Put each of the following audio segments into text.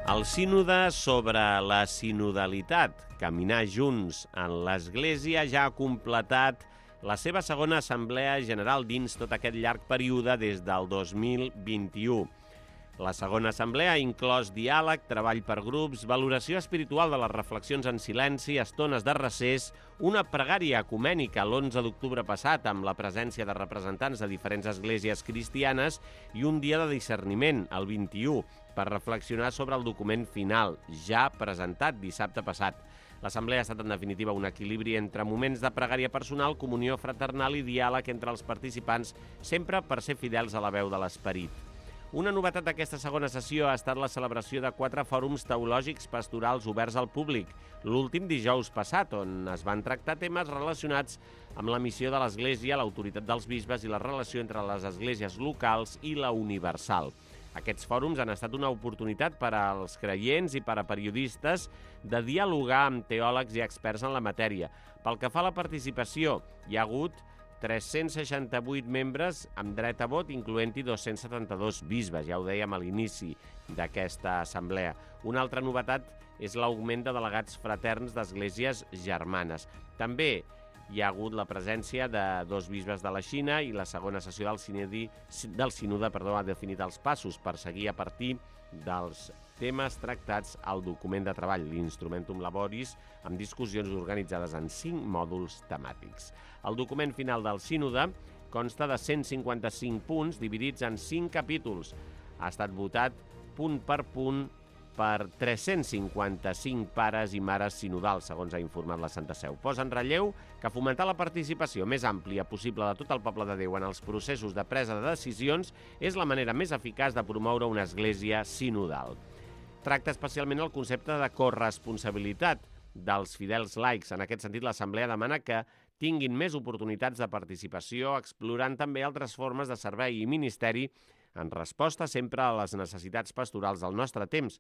El sínode sobre la sinodalitat, caminar junts en l'Església, ja ha completat la seva segona assemblea general dins tot aquest llarg període des del 2021. La segona assemblea ha inclòs diàleg, treball per grups, valoració espiritual de les reflexions en silenci, estones de recés, una pregària ecumènica l'11 d'octubre passat amb la presència de representants de diferents esglésies cristianes i un dia de discerniment, el 21, per reflexionar sobre el document final, ja presentat dissabte passat. L'assemblea ha estat, en definitiva, un equilibri entre moments de pregària personal, comunió fraternal i diàleg entre els participants, sempre per ser fidels a la veu de l'esperit. Una novetat d'aquesta segona sessió ha estat la celebració de 4 fòrums teològics pastorals oberts al públic, l'últim dijous passat, on es van tractar temes relacionats amb la missió de l'Església, l'autoritat dels bisbes i la relació entre les esglésies locals i la universal. Aquests fòrums han estat una oportunitat per als creients i per a periodistes de dialogar amb teòlegs i experts en la matèria. Pel que fa a la participació, hi ha hagut 368 membres amb dret a vot, incloent-hi 272 bisbes, ja ho dèiem a l'inici d'aquesta assemblea. Una altra novetat és l'augment de delegats fraterns d'esglésies germanes. També hi ha hagut la presència de 2 bisbes de la Xina i la segona sessió del sínode ha definit els passos per seguir a partir dels temes tractats al document de treball, l'Instrumentum Laboris, amb discussions organitzades en 5 mòduls temàtics. El document final del sínode consta de 155 punts dividits en 5 capítols. Ha estat votat punt per punt per 355 pares i mares sinodals, segons ha informat la Santa Seu. Posa en relleu que fomentar la participació més àmplia possible de tot el poble de Déu en els processos de presa de decisions és la manera més eficaç de promoure una església sinodal. Tracta especialment el concepte de corresponsabilitat dels fidels laics. En aquest sentit, l'Assemblea demana que tinguin més oportunitats de participació, explorant també altres formes de servei i ministeri en resposta sempre a les necessitats pastorals del nostre temps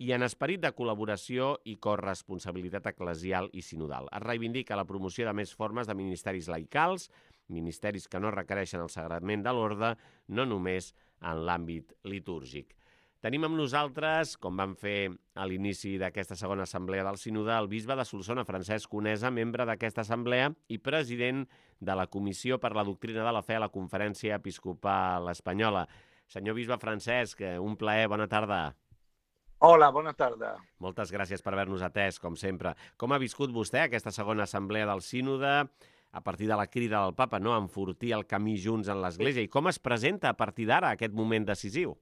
i en esperit de col·laboració i corresponsabilitat eclesial i sinodal. Es reivindica la promoció de més formes de ministeris laicals, ministeris que no requereixen el sagrament de l'orde, no només en l'àmbit litúrgic. Tenim amb nosaltres, com vam fer a l'inici d'aquesta segona assemblea del sínode, el bisbe de Solsona, Francesc Conesa, membre d'aquesta assemblea i president de la Comissió per la Doctrina de la Fe a la Conferència Episcopal Espanyola. Senyor bisbe Francesc, un plaer, bona tarda. Hola, bona tarda. Moltes gràcies per haver-nos atès, com sempre. Com ha viscut vostè aquesta segona assemblea del sínode a partir de la crida del papa, no, a enfortir el camí junts en l'Església? I com es presenta a partir d'ara aquest moment decisiu?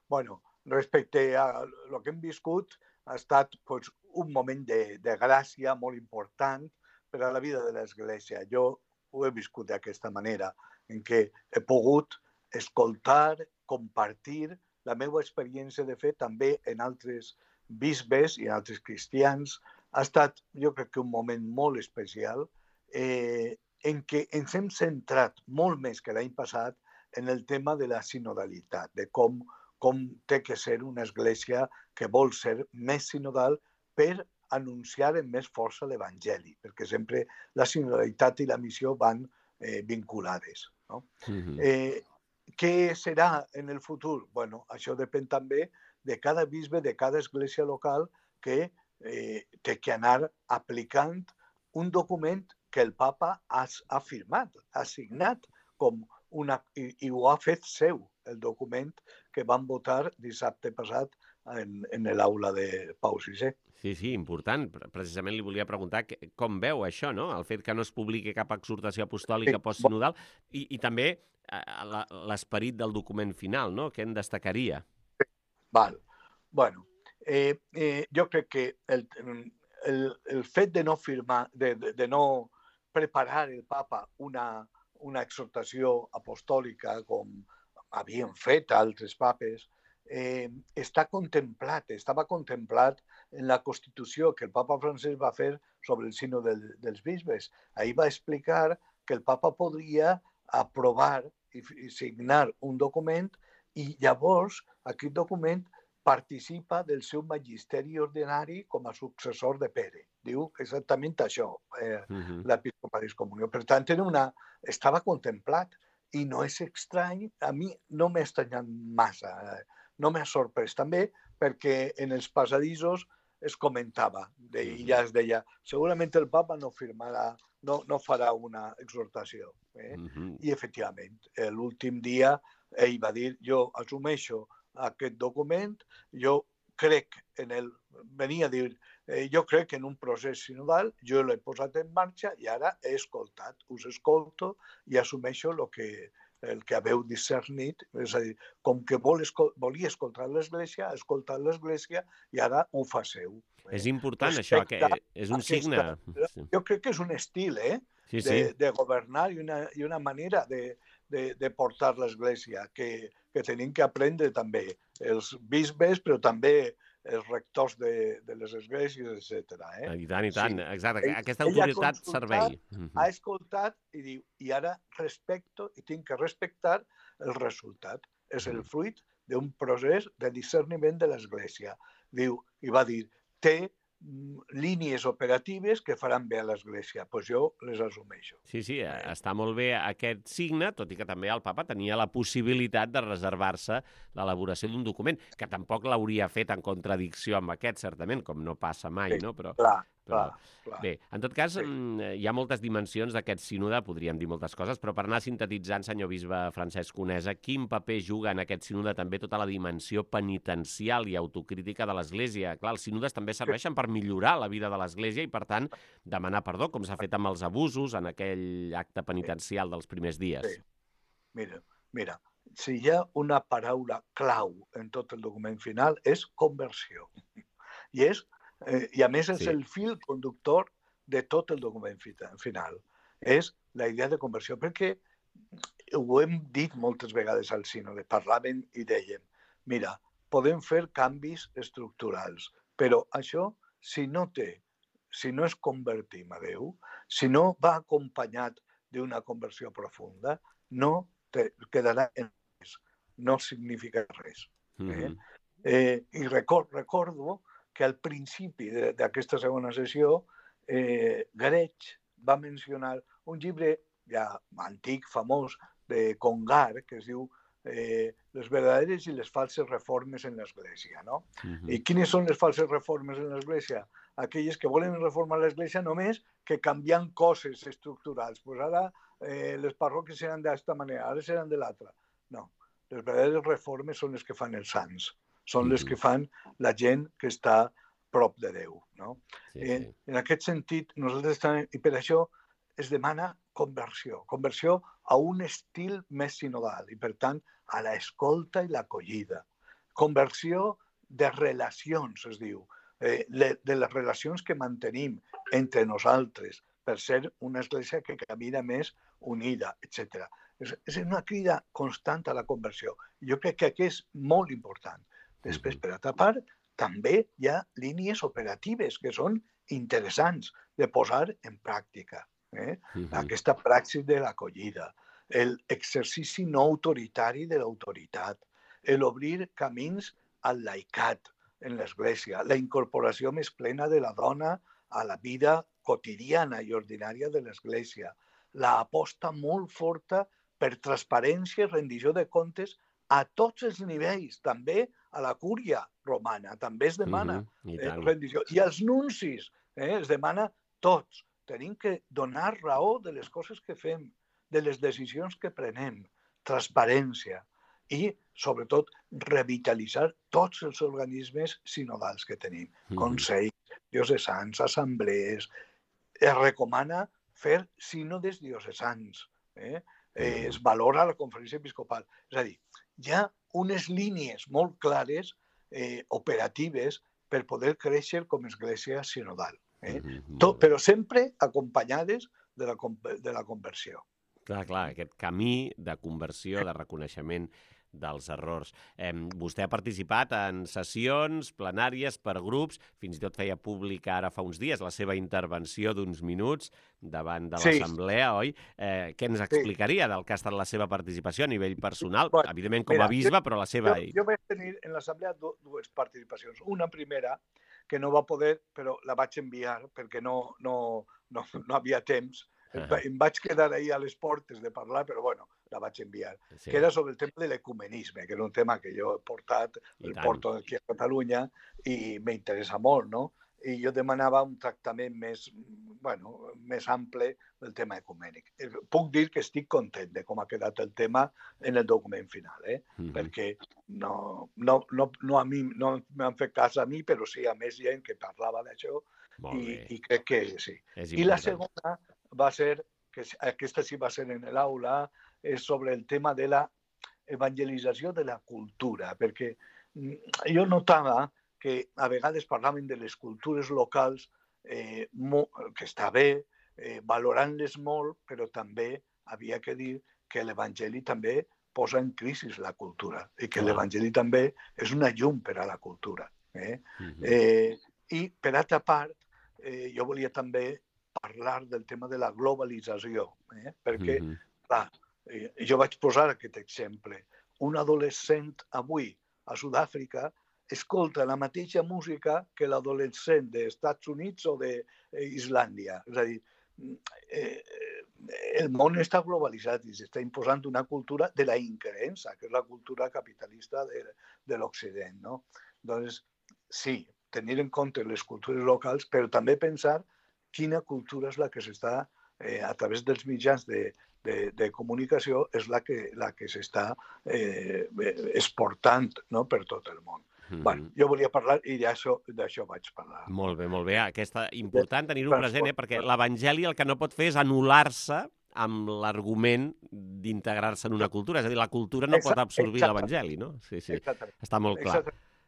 Bueno, respecte a lo que hem viscut, ha estat pues, un moment de gràcia molt important per a la vida de l'Església. Jo ho he viscut d'aquesta manera, en què he pogut escoltar, compartir la meva experiència de fe també en altres bisbes i en altres cristians. Ha estat, jo crec que un moment molt especial en què ens hem centrat molt més que l'any passat en el tema de la sinodalitat, de com té que ser una església que vol ser més sinodal per anunciar amb més força l'Evangeli, perquè sempre la sinodalitat i la missió van vinculades. No? Què serà en el futur? Bueno, això depèn també de cada bisbe, de cada església local que té que anar aplicant un document que el papa ha firmat, ha signat i ho ha fet seu, el document que van votar dissabte passat en l'aula de Pau VI. Sí, important. Precisament li volia preguntar com veu això, no? El fet que no es publiqui cap exhortació apostòlica postsinodal i també l'esperit del document final, no? Què en destacaria? Val. Bueno, jo crec que el fet de no firmar, de no preparar el papa una exhortació apostòlica com havien fet altres papes, estava contemplat en la Constitució que el papa Francesc va fer sobre el sínode dels bisbes. Ahí va explicar que el papa podria aprovar i signar un document i llavors aquest document participa del seu magisteri ordinari com a successor de Pere. Diu exactament això, l'Episcopalis Comunió. Per tant, estava contemplat i no és estrany, a mi no m'ha estranyat massa no m'ha sorprès també perquè en els passadissos es comentava i ja es deia, segurament el papa no firmarà, no farà una exhortació. I, efectivament, l'últim dia ell va dir, jo assumeixo aquest document, jo crec venia a dir, jo crec en un procés sinodal, jo l'he posat en marxa i ara he escoltat, us escolto i assumeixo el que haveu discernit, és a dir, com que volia escoltar l'Església, ha escoltat l'Església i ara ho fa seu. És important això, que és un signe. Jo crec que és un estil de governar i una manera de portar l'Església que tenim que aprendre també els bisbes, però també els rectors de les esglésies, etc. I tant, exacte. Aquesta autoritat servei. Ha escoltat i diu, i ara respecto i tinc que respectar el resultat. És el fruit d'un procés de discerniment de l'Església. Diu, i va dir, té línies operatives que faran bé a l'Església. Doncs jo les assumeixo. Sí, està molt bé aquest signe, tot i que també el papa tenia la possibilitat de reservar-se l'elaboració d'un document, que tampoc l'hauria fet en contradicció amb aquest, certament, com no passa mai, no? Però bé, en tot cas, hi ha moltes dimensions d'aquest sínode, podríem dir moltes coses, però per anar sintetitzant, senyor bisbe Francesc Conesa, quin paper juga en aquest sínode també tota la dimensió penitencial i autocrítica de l'Església? Clar, els sínodes també serveixen per millorar la vida de l'Església i, per tant, demanar perdó, com s'ha fet amb els abusos en aquell acte penitencial dels primers dies. Sí. Mira, si hi ha una paraula clau en tot el document final és conversió. I a més és el fil conductor de tot el document final. És la idea de conversió, perquè ho hem dit moltes vegades al sínode, parlàvem i dèiem, mira, podem fer canvis estructurals, però això, si no es convertim a Déu, si no va acompanyat d'una conversió profunda, no quedarà en res, no significa res. I recordo que al principi d'aquesta segona sessió Grech va mencionar un llibre ja antic, famós, de Congar, que es diu Les verdaderes i les falses reformes en l'Església. I quines són les falses reformes en l'Església? Aquelles que volen reformar l'Església només que canviant coses estructurals. Pues ara les parròquies seran d'esta manera, ara seran de l'altra. No, les verdaderes reformes són les que fan els sants. Són les que fan la gent que està prop de Déu. En aquest sentit, nosaltres també, i per això es demana conversió a un estil més sinodal i, per tant, a l'escolta i l'acollida. Conversió de relacions, es diu, de les relacions que mantenim entre nosaltres per ser una església que camina més unida, etc. És una crida constant a la conversió. Jo crec que aquí és molt important. Després, per altra part, també hi ha línies operatives que són interessants de posar en pràctica. Aquesta praxis de l'acollida, l'exercici no autoritari de l'autoritat, l'obrir camins al laicat en l'Església, la incorporació més plena de la dona a la vida quotidiana i ordinària de l'Església, l'aposta molt forta per transparència i rendició de comptes a tots els nivells, també a la cúria romana, també es demana rendició. I als nuncis es demana tots. Tenim que donar raó de les coses que fem, de les decisions que prenem, transparència i, sobretot, revitalitzar tots els organismes sinodals que tenim. Consells, diocesans, assemblees. Es recomana fer sínodes diocesans. Es valora la conferència episcopal. És a dir, hi ha unes línies molt clares, operatives, per poder créixer com a església sinodal. Però sempre acompanyades de la conversió. Clar, aquest camí de conversió, de reconeixement dels errors. Vostè ha participat en sessions plenàries per grups, fins i tot feia pública ara fa uns dies la seva intervenció d'uns minuts davant de l'assemblea, oi? Què ens explicaria del que ha estat la seva participació a nivell personal? Evidentment com a bisbe, però la seva... Jo vaig tenir en l'assemblea dues participacions. Una primera, que no va poder, però la vaig enviar perquè no havia temps. Em vaig quedar ahir a les portes de parlar, però bueno, la vaig enviar, Sí. que era sobre el tema de l'ecumenisme, que era un tema que jo he portat, porto aquí a Catalunya i m'interessa molt, no? I jo demanava un tractament més ample del tema ecumènic. Puc dir que estic content de com ha quedat el tema en el document final, perquè no a mi, no m'han fet cas a mi, però sí a més gent que parlava d'això i crec que sí. I la segona va ser, que aquesta sí va ser en l'aula, és sobre el tema de la evangelització de la cultura, perquè jo notava que a vegades parlaven de les cultures locals, que està bé, valorant-les molt, però també havia que dir que l'Evangeli també posa en crisi la cultura i que l'Evangeli també és una llum per a la cultura. I, per altra part, jo volia també parlar del tema de la globalització, perquè, clar, jo vaig posar aquest exemple. Un adolescent avui a Sud-àfrica escolta la mateixa música que l'adolescent dels Estats Units o d'Islàndia. És a dir, el món està globalitzat i s'està imposant una cultura de la increença, que és la cultura capitalista de l'Occident. Doncs, sí, tenir en compte les cultures locals, però també pensar quina cultura és la que s'està, a través dels mitjans de comunicació, és la que s'està exportant per tot el món. Jo volia parlar i d'això vaig parlar. Molt bé, molt bé. Aquesta important tenir-ho present, perquè l'Evangeli el que no pot fer és anul·lar-se amb l'argument d'integrar-se en una cultura. És a dir, la cultura no pot absorbir l'Evangeli, no? Sí, està molt clar.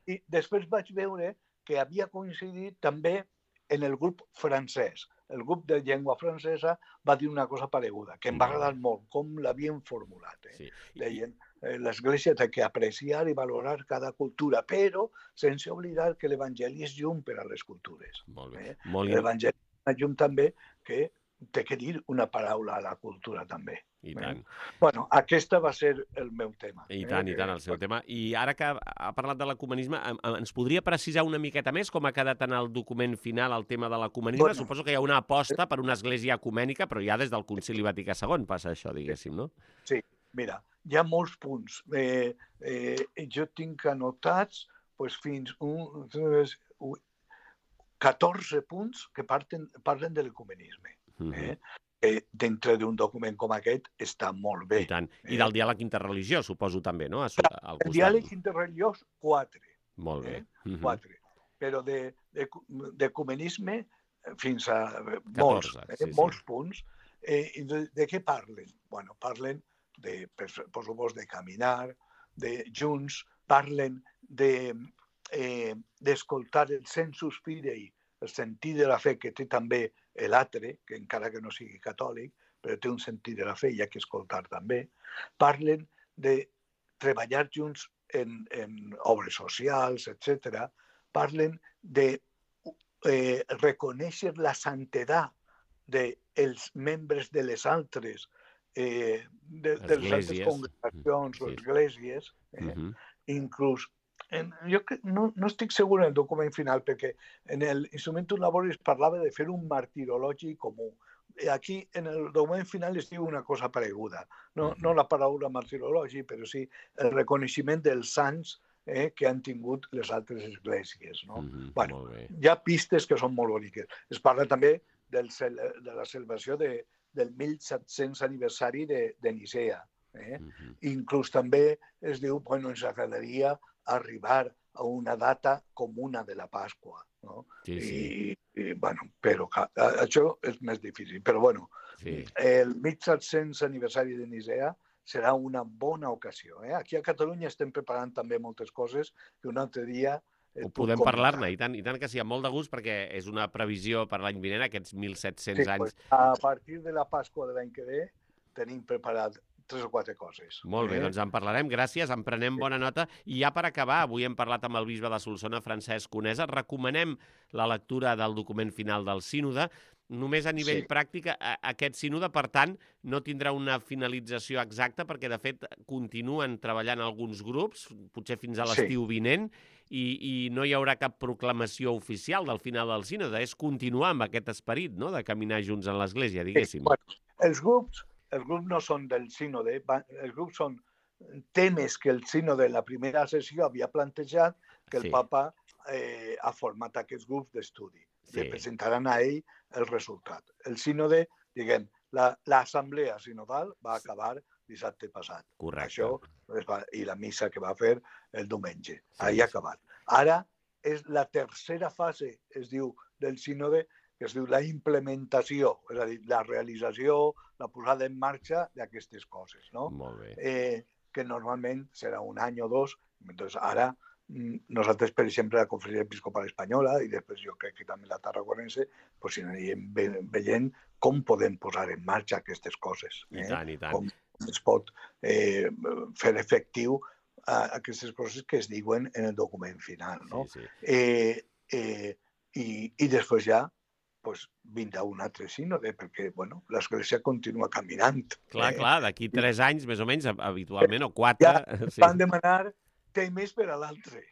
I després vaig veure que havia coincidit també en el grup francès. El grup de llengua francesa va dir una cosa pareguda, que em va agradar molt, com l'havien formulat. Deien, l'Església té que apreciar i valorar cada cultura, però sense oblidar que l'Evangeli és llum per a les cultures. L'Evangeli és una llum també que té que dir una paraula a la cultura també. I tant. Bueno, aquesta va ser el meu tema. I tant, el seu tema. I ara que ha parlat de l'ecumenisme, ens podria precisar una miqueta més com ha quedat en el document final el tema de l'ecumenisme? Suposo que hi ha una aposta per una església ecumènica, però ja des del Concili Vaticà II passa això, diguéssim, no? Sí, mira, hi ha molts punts. Jo tinc anotats fins 14 punts que parlen de l'ecumenisme. Dintre d'un document com aquest està molt bé. I tant. I del diàleg interreligiós, suposo, també, no? El diàleg interreligiós, 4. Molt bé. 4. Però d'ecumenisme fins a molts punts. De què parlen? Bueno, parlen, per supost, de caminar, de junts, parlen d'escoltar el sensus fidei, el sentit de la fe que té també l'altre, que encara que no sigui catòlic, però té un sentit de la fe i ha que escoltar també. Parlen de treballar junts en obres socials, etc. Parlen de reconèixer la santedat dels membres de les altres congregacions o esglésies, inclús. Jo no estic segur en el document final, perquè en l'Instrumentum Laboris parlava de fer un martirologi comú. Aquí, en el document final, es diu una cosa pareguda. No la paraula martirologi, però sí el reconeixement dels sants que han tingut les altres esglésies. Hi ha pistes que són molt boniques. Es parla també de la celebració del 1700 aniversari de Nicea. Inclús també es diu que ens agradaria arribar a una data comuna de la Pasqua. Però això és més difícil. Però el 1700 aniversari de Nicea serà una bona ocasió. Aquí a Catalunya estem preparant també moltes coses que un altre dia podem parlar-ne, i tant que sí, amb molt de gust, perquè és una previsió per l'any vinent, aquests 1.700 anys. A partir de la Pasqua de l'any que ve tenim preparat 3 o 4 coses. Molt bé, doncs en parlarem, gràcies, en prenem bona nota. I ja per acabar, avui hem parlat amb el bisbe de Solsona, Francesc Conesa, recomanem la lectura del document final del sínode. Només a nivell pràctic, aquest sínode, per tant, no tindrà una finalització exacta, perquè, de fet, continuen treballant alguns grups, potser fins a l'estiu vinent, i no hi haurà cap proclamació oficial del final del sínode. És continuar amb aquest esperit, no?, de caminar junts en l'Església, diguéssim. Els grups els grups no són del sínode, els grups són temes que el sínode en la primera sessió havia plantejat que el papa ha format aquests grups d'estudi. Li presentaran a ell el resultat. El sínode, diguem, l'assemblea sinodal va acabar dissabte passat. Correcte. Això, i la missa que va fer el diumenge. Ahir ha acabat. Ara és la tercera fase, es diu, del sínode, que es diu la implementació, és a dir, la realització, la posada en marxa d'aquestes coses, no? Molt bé. Que normalment serà un any o dos. Entonces, ara, nosaltres, per exemple, la Conferència Episcopal Espanyola, i després jo crec que també la Tarragonense, pues, anirem veient com podem posar en marxa aquestes coses. I tant, i tant. Com es pot fer efectiu aquestes coses que es diuen en el document final, no? I després ja vindrà un altre sínode, perquè l'Església continua caminant. Clar, d'aquí 3 anys, més o menys, habitualment, o 4. Ja van demanar temes per a l'altre.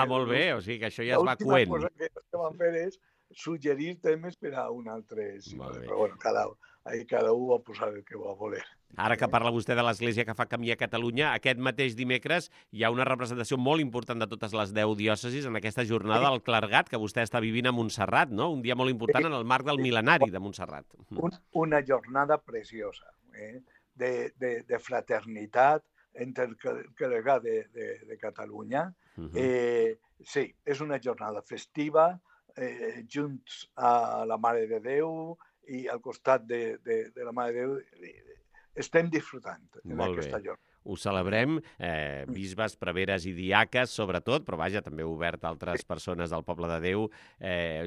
Molt bé, o sigui que això ja es va coent. L'última cosa que van fer és suggerir temes per a un altre sínode. Però bueno, cada un va posar el que va voler. Ara que parla vostè de l'Església que fa camí a Catalunya, aquest mateix dimecres hi ha una representació molt important de totes les 10 diòcesis en aquesta jornada del clergat que vostè està vivint a Montserrat, no? Un dia molt important en el marc del mil·lenari de Montserrat. Una jornada preciosa, de fraternitat entre el clergat de Catalunya. Sí, és una jornada festiva, junts a la Mare de Déu i al costat de la Mare de Déu. Estem disfrutant d'aquesta jornada. Ho celebrem, bisbes, preveres i diaques, sobretot, però vaja, també obert a altres persones del Poble de Déu.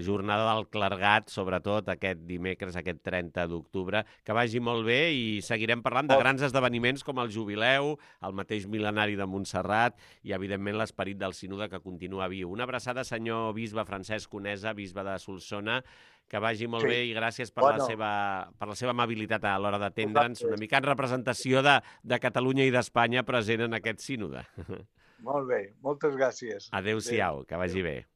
Jornada del clergat, sobretot, aquest dimecres, aquest 30 d'octubre. Que vagi molt bé i seguirem parlant de grans esdeveniments com el Jubileu, el mateix mil·lenari de Montserrat i, evidentment, l'esperit del sínode que continua viu. Una abraçada, senyor bisbe Francesc Conesa, bisbe de Solsona. Que vagi molt bé i gràcies per la seva amabilitat a l'hora d'atendre'ns, una mica en representació de Catalunya i d'Espanya present en aquest sínode. Molt bé, moltes gràcies. Adéu-siau, que vagi bé.